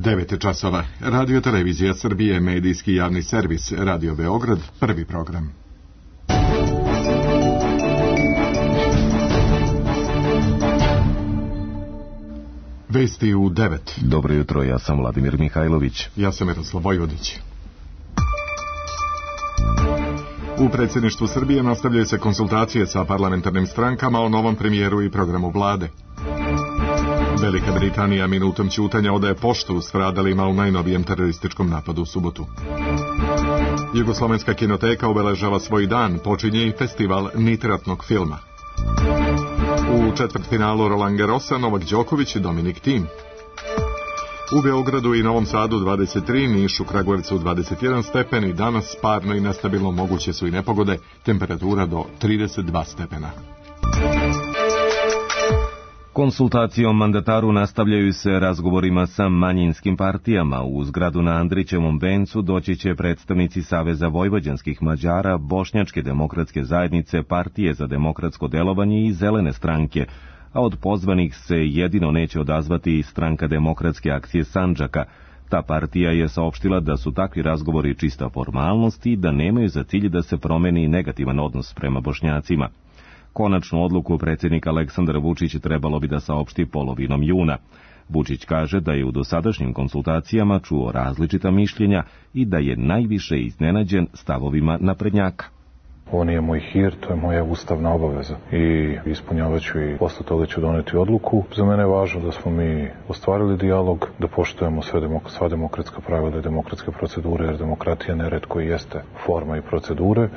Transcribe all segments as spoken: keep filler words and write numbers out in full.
devet časova. Radio Televizija Srbije, medijski javni servis, Radio Beograd, prvi program. Vesti u devet. Dobro jutro, ja sam Vladimir Mihajlović. Ja sam Miroslav Vojvodić. U predsjedništvu Srbije nastavljaju se konsultacije sa parlamentarnim strankama o novom premijeru i programu vlade. Velika Britanija minutom ćutanja odaje poštu stradalima u najnovijem terorističkom napadu u subotu. Jugoslovenska kinoteka obeležava svoj dan, počinje i festival nitratnog filma. U četvrtfinalu Roland Garrosa Novak Đoković i Dominik Thiem. U Beogradu i Novom Sadu dvadeset tri, Nišu, Kragujevcu dvadeset jedan stepeni, danas parno i nestabilno moguće su i nepogode, temperatura do trideset dva stepena. Konsultacije o mandataru nastavljaju se razgovorima sa manjinskim partijama. U zgradu na Andrićevom vencu doći će predstavnici Saveza vojvođanskih Mađara, Bošnjačke demokratske zajednice, Partije za demokratsko delovanje i Zelene stranke, a od pozvanih se jedino neće odazvati Stranka demokratske akcije Sandžaka. Ta partija je saopštila da su takvi razgovori čista formalnost i da nemaju za cilj da se promeni negativan odnos prema Bošnjacima. Konačnu odluku predsjednik Aleksandar Vučić trebalo bi da saopšti polovinom juna. Vučić kaže da je u dosadašnjim konsultacijama čuo različita mišljenja i da je najviše iznenađen stavovima naprednjaka. Ovo nije moj hir, to je moja ustavna obaveza i ispunjavat ću i posle toga ću doneti odluku. Za mene je važno da smo mi ostvarili dijalog, da poštujemo sve demok- sva demokratska pravila i demokratske procedure, jer demokratija neretko i jeste forma i procedure,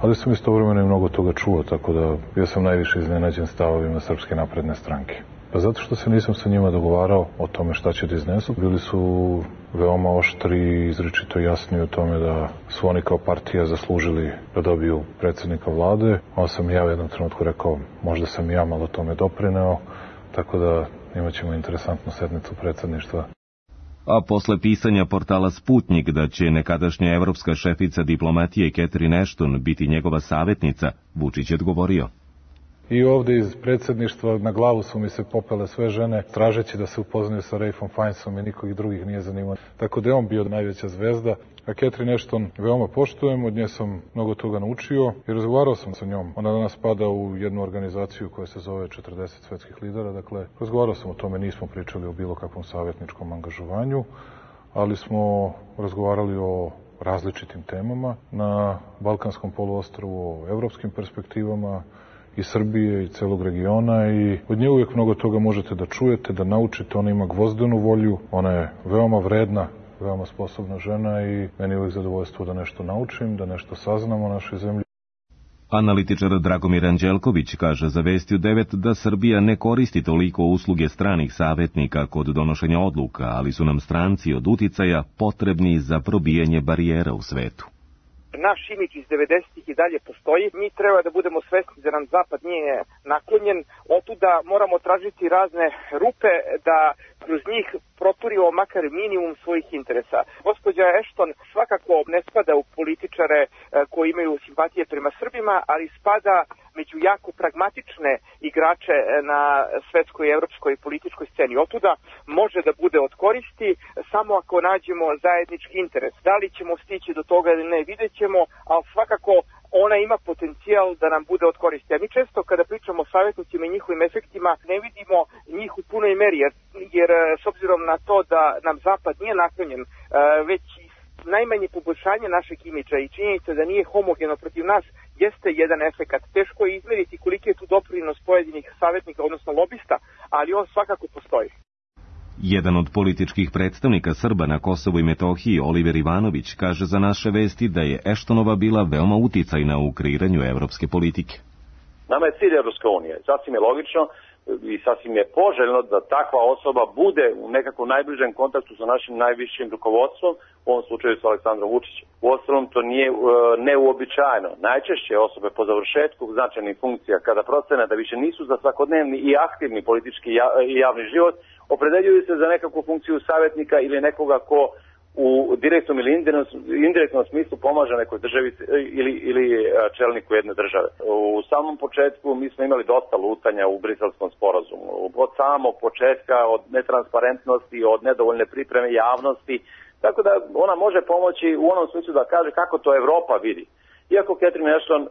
ali sam istovremeno i mnogo toga čuo, tako da ja sam najviše iznenađen stavovima Srpske napredne stranke. Pa zato što se nisam sa njima dogovarao o tome šta će da iznesu. Bili su veoma oštri i izričito jasni u tome da su oni kao partija zaslužili da dobiju predsjednika vlade. Onda sam ja u jednom trenutku rekao, možda sam ja malo tome doprineo, tako da imat ćemo interesantnu sednicu predsjedništva. A posle pisanja portala Sputnik da će nekadašnja evropska šefica diplomatije Catherine Ashton biti njegova savjetnica, Vučić je odgovorio. I ovdje iz predsjedništva na glavu su mi se popele sve žene, tražeći da se upoznaju sa Ralphom Fiennesom i nikog drugih nije zanimao. Tako da je on bio najveća zvezda, a Catherine Ashton veoma poštujem, od nje sam mnogo toga naučio i razgovarao sam sa njom. Ona danas spada u jednu organizaciju koja se zove četrdeset svetskih lidera, dakle razgovarao sam o tome, nismo pričali o bilo kakvom savjetničkom angažovanju, ali smo razgovarali o različitim temama na Balkanskom poluostrvu, o evropskim perspektivama i Srbije i celog regiona i od nje uvijek mnogo toga možete da čujete, da naučite. Ona ima gvozdenu volju, ona je veoma vredna, veoma sposobna žena i meni je uvijek zadovoljstvo da nešto naučim, da nešto saznam o našoj zemlji. Analitičar Dragomir Anđelković kaže za Vesti u devet da Srbija ne koristi toliko usluge stranih savjetnika kod donošenja odluka, ali su nam stranci od uticaja potrebni za probijanje barijera u svetu. Naš imidž iz devedesetih i dalje postoji. Mi treba da budemo svesni da nam Zapad nije naklonjen. Otuda moramo tražiti razne rupe da kroz njih proturimo makar minimum svojih interesa. Gospođa Ashton svakako ne spada u političare koji imaju simpatije prema Srbima, ali spada među jako pragmatične igrače na svetskoj i evropskoj političkoj sceni. Otuda može da bude od koristi samo ako nađemo zajednički interes. Da li ćemo stići do toga ili ne, vidjet ćemo, ali svakako ona ima potencijal da nam bude od koristi. A mi često kada pričamo o savjetnicima i njihovim efektima ne vidimo njih u punoj meri, jer, jer s obzirom na to da nam Zapad nije naklonjen, već najmanje poboljšanje našeg imidža i činjenica da nije homogeno protiv nas jeste jedan efekat. Teško je izmeriti koliki je tu doprinos pojedinih savjetnika, odnosno lobista, ali on svakako postoji. Jedan od političkih predstavnika Srba na Kosovu i Metohiji, Oliver Ivanović, kaže za naše Vesti da je Ashtonova bila veoma uticajna u kreiranju evropske politike. Nama je cilj Evropska unija. Sasvim je logično i sasvim je poželjno da takva osoba bude u nekakvom najbližem kontaktu sa našim najvišim rukovodstvom, u ovom slučaju sa Aleksandrom Vučićem. Uostalom, to nije uh, neuobičajeno. Najčešće osobe po završetku značajnih funkcija, kada procene da više nisu za svakodnevni i aktivni politički i javni život, opredeljuju se za nekakvu funkciju savjetnika ili nekoga ko u direktnom ili indirektnom smislu pomaže nekoj državi ili, ili čelniku jedne države. U samom početku mi smo imali dosta lutanja u Briselskom sporazumu. Od samog početka, od netransparentnosti, od nedovoljne pripreme javnosti, tako da ona može pomoći u onom smislu da kaže kako to Evropa vidi. Iako Catherine Ashton uh,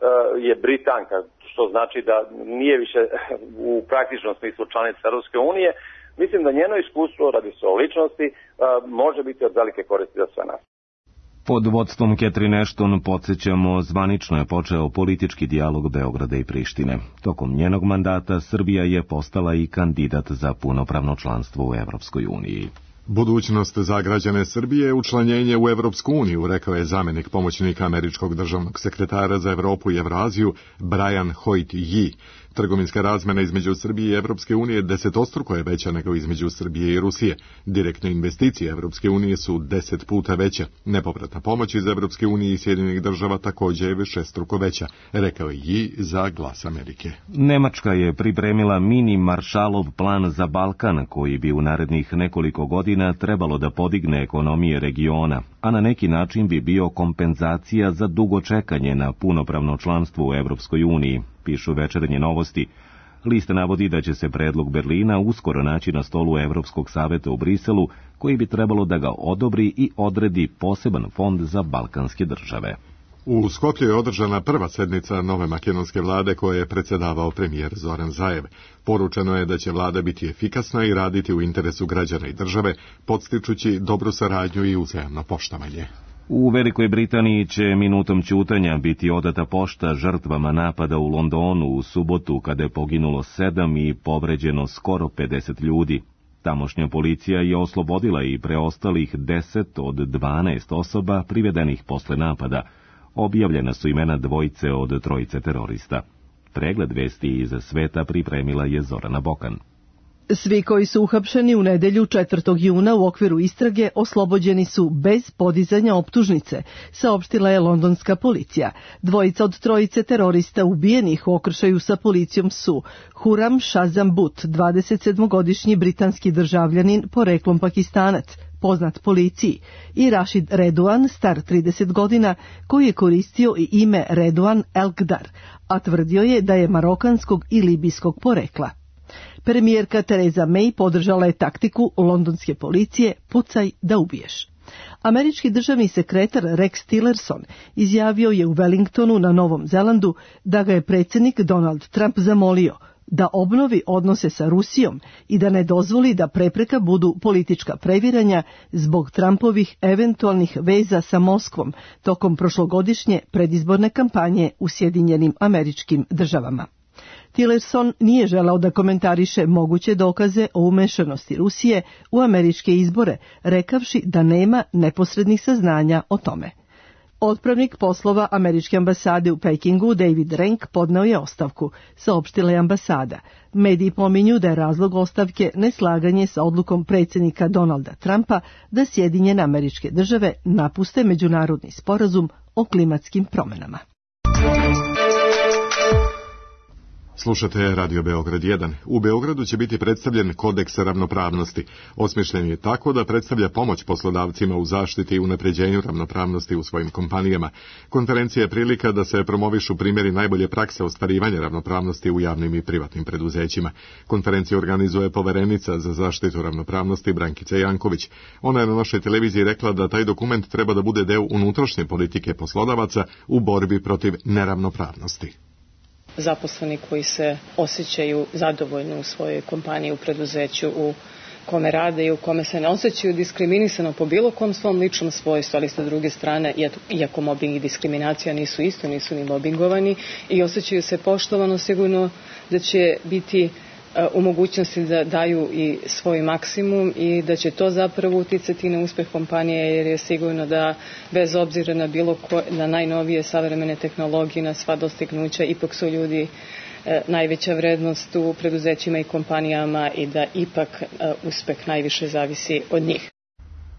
je Britanka, što znači da nije više u praktičnom smislu članica Europske unije, mislim da njeno iskustvo, radi se o ličnosti, uh, može biti od velike koristi za sve nas. Pod vodstvom Catherine Ashton, podsjećamo, zvanično je počeo politički dijalog Beograda i Prištine. Tokom njenog mandata Srbija je postala i kandidat za punopravno članstvo u Evropskoj uniji. Budućnost za građane Srbije je učlanjenje u Evropsku uniju, rekao je zamjenik pomoćnika američkog državnog sekretara za Evropu i Evraziju Brian Hoyt-Yi. Trgovinska razmena između Srbije i Evropske unije desetostruko je veća nego između Srbije i Rusije. Direktne investicije Evropske unije su deset puta veće. Nepovratna pomoć iz Evropske unije i Sjedinjenih država također je višestruko veća, rekao je Yi za Glas Amerike. Nemačka je pripremila mini Maršalov plan za Balkan, koji bi u narednih nekoliko godina trebalo da podigne ekonomije regiona, a na neki način bi bio kompenzacija za dugo čekanje na punopravno članstvo u Evropskoj uniji, pišu Večernje novosti. List navodi da će se predlog Berlina uskoro naći na stolu Evropskog saveta u Briselu, koji bi trebalo da ga odobri i odredi poseban fond za balkanske države. U Skoplju je održana prva sednica nove makedonske vlade koje je predsjedavao premijer Zoran Zaev. Poručeno je da će vlada biti efikasna i raditi u interesu građana i države, podstičući dobru saradnju i uzajamno poštovanje. U Velikoj Britaniji će minutom ćutanja biti odata pošta žrtvama napada u Londonu u subotu, kada je poginulo sedam i povređeno skoro pedeset ljudi. Tamošnja policija je oslobodila i preostalih deset od dvanaest osoba privedenih posle napada. Objavljena su imena dvojice od trojice terorista. Pregled vesti iz sveta pripremila je Zorana Bokan. Svi koji su uhapšeni u nedelju četvrtog juna u okviru istrage oslobođeni su bez podizanja optužnice, saopštila je londonska policija. Dvojica od trojice terorista ubijenih u okršaju sa policijom su Huram Shazam Butt, dvadesetsedmogodišnji britanski državljanin poreklom Pakistanac, poznat policiji, i Rashid Redouan, star trideset godina, koji je koristio i ime Redouan Elkdar, a tvrdio je da je marokanskog i libijskog porekla. Premijerka Theresa May podržala je taktiku londonske policije pucaj da ubiješ. Američki državni sekretar Rex Tillerson izjavio je u Wellingtonu na Novom Zelandu da ga je predsjednik Donald Trump zamolio da obnovi odnose sa Rusijom i da ne dozvoli da prepreka budu politička previranja zbog Trumpovih eventualnih veza sa Moskvom tokom prošlogodišnje predizborne kampanje u Sjedinjenim Američkim Državama. Tillerson nije želeo da komentariše moguće dokaze o umešanosti Rusije u američke izbore, rekavši da nema neposrednih saznanja o tome. Otpravnik poslova američke ambasade u Pekingu, David Renk, podneo je ostavku, saopštila je ambasada. Mediji pominju da je razlog ostavke neslaganje sa odlukom predsjednika Donalda Trumpa da Sjedinjene Američke Države napuste međunarodni sporazum o klimatskim promjenama. Slušate Radio Beograd jedan. U Beogradu će biti predstavljen kodeks ravnopravnosti. Osmišljen je tako da predstavlja pomoć poslodavcima u zaštiti i unapređenju ravnopravnosti u svojim kompanijama. Konferencija je prilika da se promovišu primjeri najbolje prakse ostvarivanja ravnopravnosti u javnim i privatnim preduzećima. Konferenciju organizuje poverenica za zaštitu ravnopravnosti Brankica Janković. Ona je na našoj televiziji rekla da taj dokument treba da bude deo unutrašnje politike poslodavaca u borbi protiv neravnopravnosti. Zaposleni koji se osjećaju zadovoljno u svojoj kompaniji, u preduzeću, u kome rade i u kome se ne osjećaju diskriminisano po bilo kom svom ličnom svojstvu, ali sa druge strane, iako mobbing i diskriminacija nisu isto, nisu ni mobbingovani i osjećaju se poštovano, sigurno da će biti u mogućnosti da daju i svoj maksimum i da će to zapravo uticati na uspeh kompanije, jer je sigurno da bez obzira na bilo ko, na najnovije savremene tehnologije, na sva dostignuća, ipak su ljudi e, najveća vrednost u preduzećima i kompanijama i da ipak e, uspeh najviše zavisi od njih.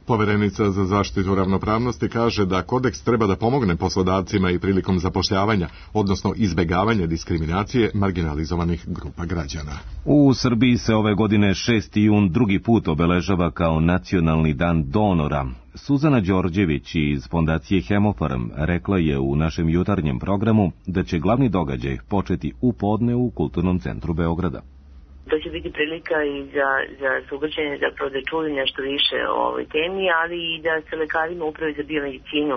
Poverenica za zaštitu ravnopravnosti kaže da kodeks treba da pomogne poslodavcima i prilikom zapošljavanja, odnosno izbjegavanja diskriminacije marginalizovanih grupa građana. U Srbiji se ove godine šesti jun drugi put obeležava kao Nacionalni dan donora. Suzana Đorđević iz fondacije Hemofarm rekla je u našem jutarnjem programu da će glavni događaj početi u podne u Kulturnom centru Beograda. To će biti prilika i za, za sugrađane zapravo da čuju nešto više o ovoj temi, ali i da se lekarima upravi za biomedicinu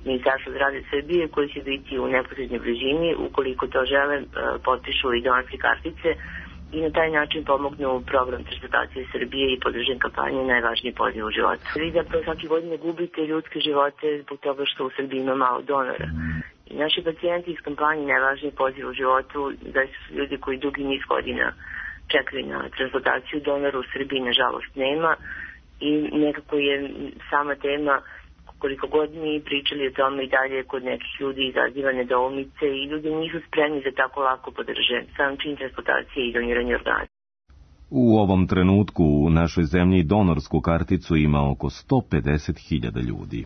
Ministarstva zdravlja Srbije koji će biti u neposrednoj blizini, ukoliko to žele, potpišu i donorske kartice i na taj način pomognu program transplantacije Srbije i podržen kampanje Najvažniji poziv u životu. Vi zapravo svake godine gubite ljudske živote zbog toga što u Srbiji ima malo donora. I naši pacijenti iz kampanje Najvažniji poziv u životu da su ljudi koji dugi niz godina čekali na transplantaciju, donora u Srbiji nažalost nema i nekako je sama tema, koliko god mi pričali o tome i dalje kod nekih ljudi izaziva nedoumice i ljudi nisu spremni da tako lako podrže sam čin transplantacije i doniranje organa. U ovom trenutku u našoj zemlji donorsku karticu ima oko sto pedeset hiljada ljudi.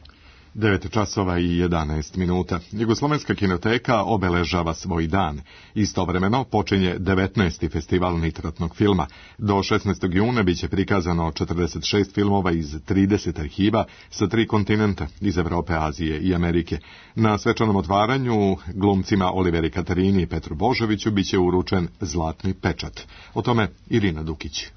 devet časova i jedanaest minuta. Jugoslovenska kinoteka obeležava svoj dan. Istovremeno počinje devetnaesti festival nitratnog filma. Do šesnaestog juna biće prikazano četrdeset šest filmova iz trideset arhiva sa tri kontinenta, iz Evrope, Azije i Amerike. Na svečanom otvaranju glumcima Oliveri Katarini i Petru Božoviću biće uručen zlatni pečat. O tome Irina Dukić.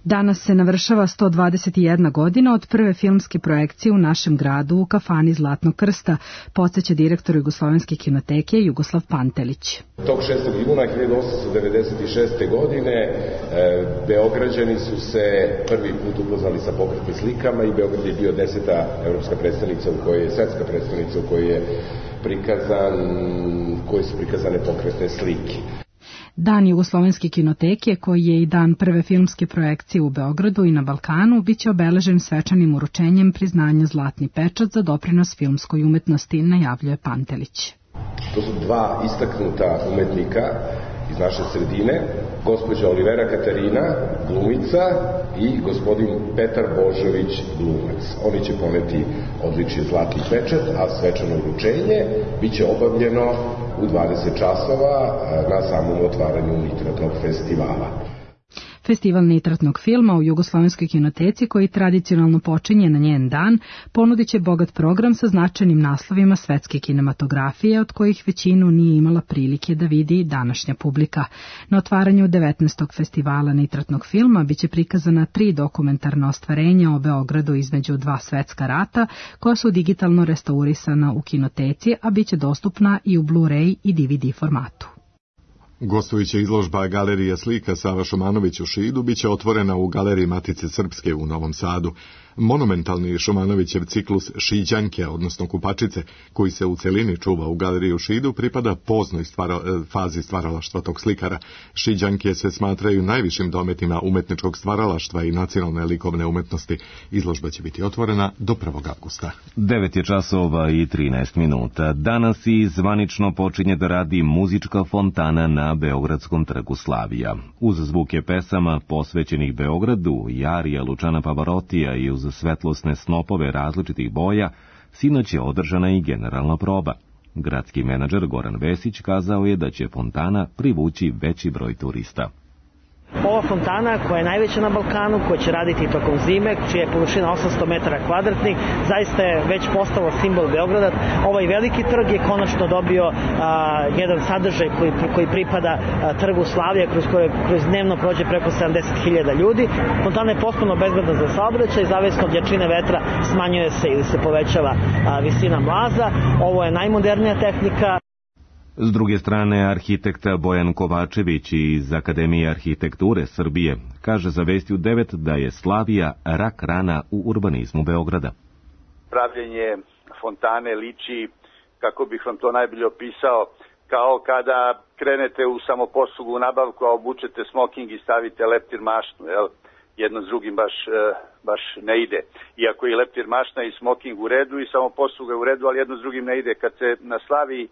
Danas se navršava sto dvadeset jedna godina od prve filmske projekcije u našem gradu u kafani Zlatnog krsta, podsjeća direktor Jugoslovenske kinoteke Jugoslav Pantelić. Tog šestog juna hiljadu osamsto devedeset šeste. godine e, Beograđani su se prvi put upoznali sa pokretnim slikama i Beograd je bio deseta evropska predstavnica u kojoj je, svetska predstavnica u kojoj je prikazan, koje su prikazane pokretne slike. Dan Jugoslovenske kinoteke, koji je i dan prve filmske projekcije u Beogradu i na Balkanu, biće obeležen svečanim uručenjem priznanja Zlatni pečat za doprinos filmskoj umetnosti, najavljuje Pantelić. To su dva istaknuta umetnika iz naše sredine, gospođa Olivera Katarina, glumica, i gospodin Petar Božović, glumac. Oni će poneti odličje Zlatni pečat, a svečano uručenje biće obavljeno u dvadeset časova na samom otvaranju nitratnog festivala. Festival nitratnog filma u Jugoslovenskoj kinoteci, koji tradicionalno počinje na njen dan, ponudit će bogat program sa značajnim naslovima svetske kinematografije, od kojih većinu nije imala prilike da vidi današnja publika. Na otvaranju devetnaestog festivala nitratnog filma biće prikazana tri dokumentarna ostvarenja o Beogradu između dva svetska rata, koja su digitalno restaurisana u kinoteci, a biće dostupna i u Blu-ray i D V D formatu. Gostujuća izložba Galerija slika Sava Šumanović u Šidu biće otvorena u Galeriji Matice Srpske u Novom Sadu. Monumentalni Šumanovićev ciklus Šiđanke, odnosno Kupačice, koji se u celini čuva u Galeriji u Šidu, pripada poznoj stvara, fazi stvaralaštva tog slikara. Šiđanke se smatraju najvišim dometima umetničkog stvaralaštva i nacionalne likovne umetnosti. Izložba će biti otvorena do prvog avgusta. devet je časova i trinaest minuta. Danas i zvanično počinje da radi muzička fontana na Beogradskom trgu Slavija. Uz zvuke pesama posvećenih Beogradu i arija Lučana Pavarotija i uz svetlosne snopove različitih boja, sinoć je održana i generalna proba. Gradski menadžer Goran Vesić kazao je da će fontana privući veći broj turista. Ova fontana, koja je najveća na Balkanu, koja će raditi tokom zime, čija je površina osamsto metara kvadratnih, zaista je već postalo simbol Beograda. Ovaj veliki trg je konačno dobio a, jedan sadržaj koji, koji pripada a, trgu Slavija, kroz koje kroz dnevno prođe preko sedamdeset hiljada ljudi. Fontana je potpuno bezbedna za saobraćaj, zavisno od jačine vetra smanjuje se ili se povećava a, visina mlaza. Ovo je najmodernija tehnika. S druge strane, arhitekta Bojan Kovačević iz Akademije arhitekture Srbije kaže za Vesti u devet da je Slavija rak rana u urbanizmu Beograda. Pravljenje fontane liči, kako bih vam to najbolje opisao, kao kada krenete u samoposlugu u nabavku, a obučete smoking i stavite leptir mašnu, jel? Jedno s drugim baš, baš ne ide. Iako je leptir mašna i smoking u redu i samoposluga u redu, ali jedno s drugim ne ide. Kad se na Slaviji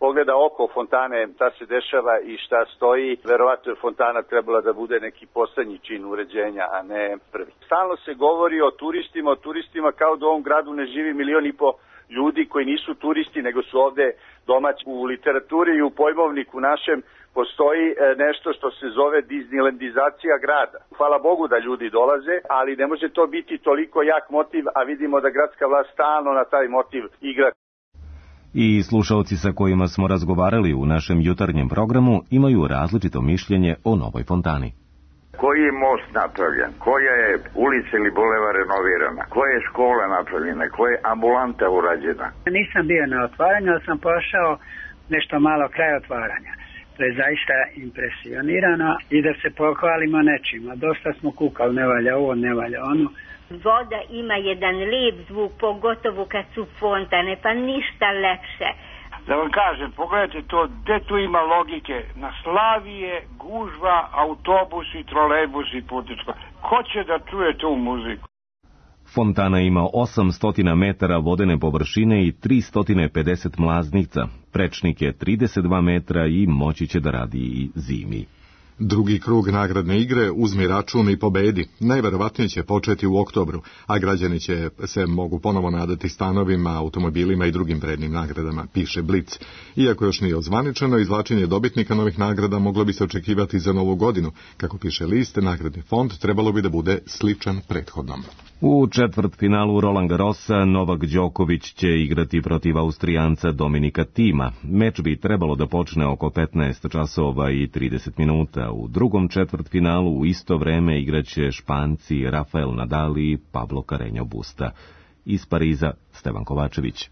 pogleda oko fontane, šta se dešava i šta stoji, verovatno je fontana trebala da bude neki poslednji čin uređenja, a ne prvi. Stalno se govori o turistima, o turistima kao da u ovom gradu ne živi milion i po ljudi koji nisu turisti, nego su ovde domaći. U literaturi i u pojmovniku našem postoji nešto što se zove Disneylandizacija grada. Hvala Bogu da ljudi dolaze, ali ne može to biti toliko jak motiv, a vidimo da gradska vlast stalno na taj motiv igra. I slušalci sa kojima smo razgovarali u našem jutarnjem programu imaju različito mišljenje o novoj fontani. Koji je most napravljen, koja je ulica ili bulevar renovirana, koja je škola napravljena, koja je ambulanta urađena. Nisam bio na otvaranju, ali sam pošao nešto malo kraj otvaranja. To je zaista impresionirano i da se pohvalimo nečima. Dosta smo kukali, ne valja ovo, ne valja ono. Voda ima jedan lijep zvuk, pogotovo kad su fontane, pa ništa lepše. Da vam kažem, pogledajte to, gde tu ima logike? Na Slavije, gužva, autobusi, trolejbusi, putničko. Ko će da čuje tu muziku? Fontana ima osamsto metara vodene površine i tristo pedeset mlaznica. Prečnik je trideset dva metra i moći će da radi i zimi. Drugi krug nagradne igre Uzmi račun i pobedi. Najverovatnije će početi u oktobru, a građani će se mogu ponovo nadati stanovima, automobilima i drugim vrednim nagradama, piše Blic. Iako još nije odzvaničeno, izvlačenje dobitnika novih nagrada moglo bi se očekivati za novu godinu. Kako piše list, nagradni fond trebalo bi da bude sličan prethodnom. U četvrtfinalu Roland Garrosa Novak Đoković će igrati protiv Austrijanca Dominika Thima. Meč bi trebalo da počne oko petnaest časova i trideset minuta. U drugom četvrtfinalu u isto vreme igraće Španci Rafael Nadal i Pablo Carreño Busta. Iz Pariza Stevan Kovačević.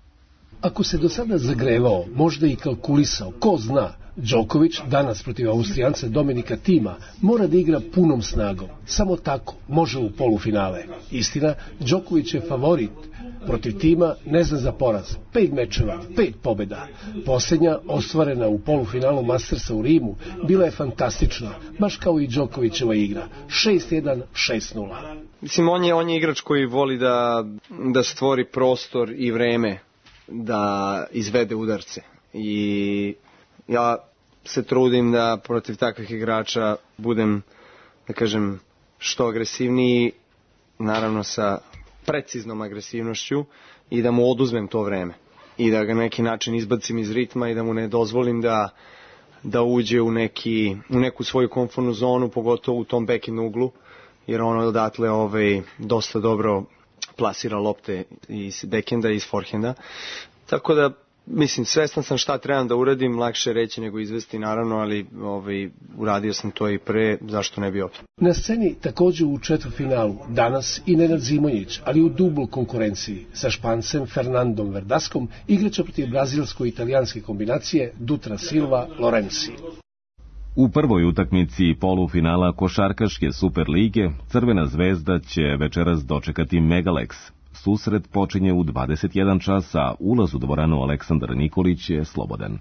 Ako se do sada zagrevao, možda i kalkulisao, ko zna, Đoković danas protiv Austrijanca Dominika Thima mora da igra punom snagom. Samo tako može u polufinale. Istina, Đoković je favorit. Protiv Thima ne zna za poraz. Pet mečeva, pet pobjeda. Posljednja, ostvarena u polufinalu Mastersa u Rimu, bila je fantastična, baš kao i Đokovićeva igra. šest jedan, šest nula. Mislim, on je, on je igrač koji voli da, da stvori prostor i vreme da izvede udarce. I ja se trudim da protiv takvih igrača budem, da kažem, što agresivniji, naravno sa preciznom agresivnošću, i da mu oduzmem to vreme i da ga na neki način izbacim iz ritma i da mu ne dozvolim da, da uđe u, neki, u neku svoju komfortnu zonu, pogotovo u tom back-end uglu, jer on odatle ovaj, dosta dobro plasira lopte iz backenda i iz forehenda. Tako da, mislim, svestan sam šta trebam da uradim, lakše reći nego izvesti, naravno, ali ovaj, uradio sam to i pre, zašto ne bi opet. Na sceni također u četvrtfinalu danas i Nenad Zimonjić, ali u dublu konkurenciji sa Špancem Fernandom Verdaskom igraće protiv brazilsko-italijanske kombinacije Dutra Silva Lorenzi. U prvoj utakmici polufinala košarkaške Superlige Crvena zvezda će večeras dočekati Megalex. Susret počinje u dvadeset jedan čas, a ulaz u dvoranu Aleksandar Nikolić je slobodan.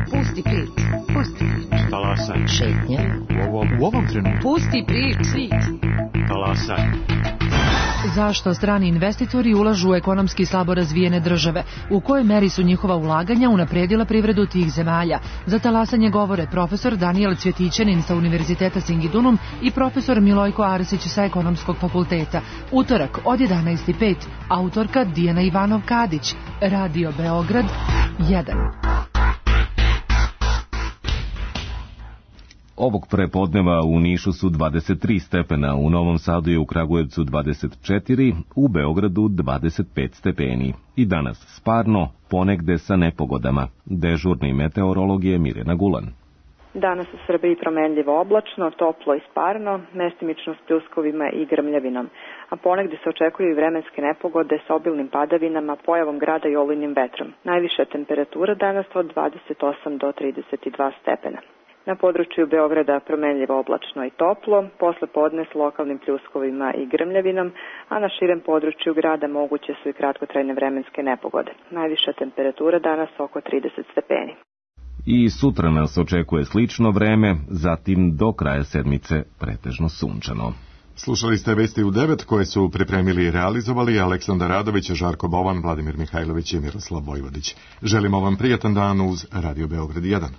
Pusti prič, pusti prič. Talasaj. Šetnja. U ovom, u ovom trenutku. Pusti prič. Talasaj. Zašto strani investitori ulažu u ekonomski slabo razvijene države? U kojoj meri su njihova ulaganja unapredila privredu tih zemalja? Za talasanje govore profesor Danijel Cvjetićanin sa Univerziteta Singidunum i profesor Milojko Arsić sa Ekonomskog fakulteta. Utorak od jedanaest i pet. Autorka Dijana Ivanov-Kadić. Radio Beograd jedan. Ovog prepodneva u Nišu su dvadeset tri stepena, u Novom Sadu i u Kragujevcu dvadeset četiri, u Beogradu dvadeset pet stepeni. I danas sparno, ponegde sa nepogodama. Dežurni meteorolog je Mirjana Gulan. Danas u Srbiji promenljivo oblačno, toplo i sparno, mestimično s pljuskovima i grmljavinom. A ponegde se očekuju i vremenske nepogode sa obilnim padavinama, pojavom grada i olujnim vetrom. Najviša temperatura danas od dvadeset osam do trideset dva stepena. Na području Beograda promenljivo oblačno i toplo, posle podne s lokalnim pljuskovima i grmljavinom, a na širem području grada moguće su i kratkotrajne vremenske nepogode. Najviša temperatura danas oko trideset stepeni. I sutra nas očekuje slično vreme, zatim do kraja sedmice pretežno sunčano. Slušali ste Vesti u devet koje su pripremili i realizovali Aleksandar Radović, Žarko Bovan, Vladimir Mihajlović i Miroslav Vojvodić. Želimo vam prijatan dan uz Radio Beograd jedan.